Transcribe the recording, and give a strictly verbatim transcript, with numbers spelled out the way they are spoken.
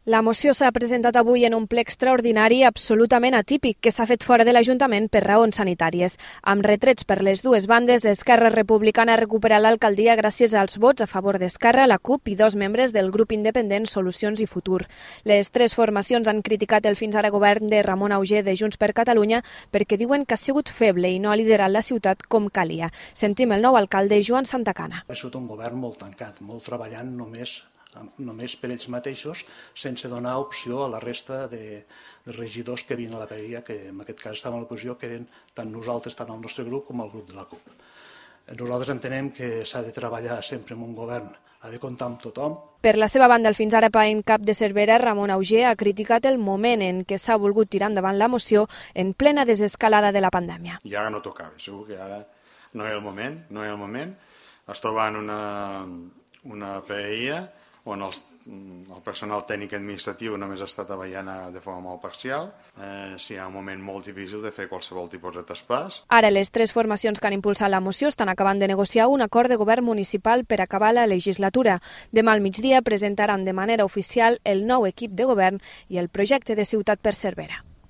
La moció s'ha presentat avui en un ple extraordinari absolutament atípic que s'ha fet fora de l'Ajuntament per raons sanitàries. Amb retrets per les dues bandes, Esquerra Republicana ha recuperat l'alcaldia gràcies als vots a favor d'Esquerra, la CUP i dos membres del grup independent Solucions i Futur. Les tres formacions han criticat el fins ara govern de Ramon Auger de Junts per Catalunya perquè diuen que ha sigut feble i no ha liderat la ciutat com calia. Sentim el nou alcalde, Joan Santacana. Ha sigut un govern molt tancat, molt treballant només només per ells mateixos, sense donar opció a la resta de, de regidors que havien a la vegueria, que en aquest cas estaven a l'oposició, que eren tant nosaltres, tant el nostre grup com el grup de la CUP. Nosaltres entenem que s'ha de treballar sempre en un govern, ha de comptar amb tothom. Per la seva banda, el fins ara en cap de Cervera, Ramon Auger, ha criticat el moment en què s'ha volgut tirar endavant la moció en plena desescalada de la pandèmia. I ara no tocava, segur que ara no hi ha el moment, no hi ha el moment. Es troba en una, una P I A on els, el personal tècnic administratiu només està treballant de forma molt parcial. Eh, sí, hi ha un moment molt difícil de fer qualsevol tipus de traspàs. Ara les tres formacions que han impulsat la moció estan acabant de negociar un acord de govern municipal per acabar la legislatura. Demà al migdia presentaran de manera oficial el nou equip de govern i el projecte de ciutat per Cervera.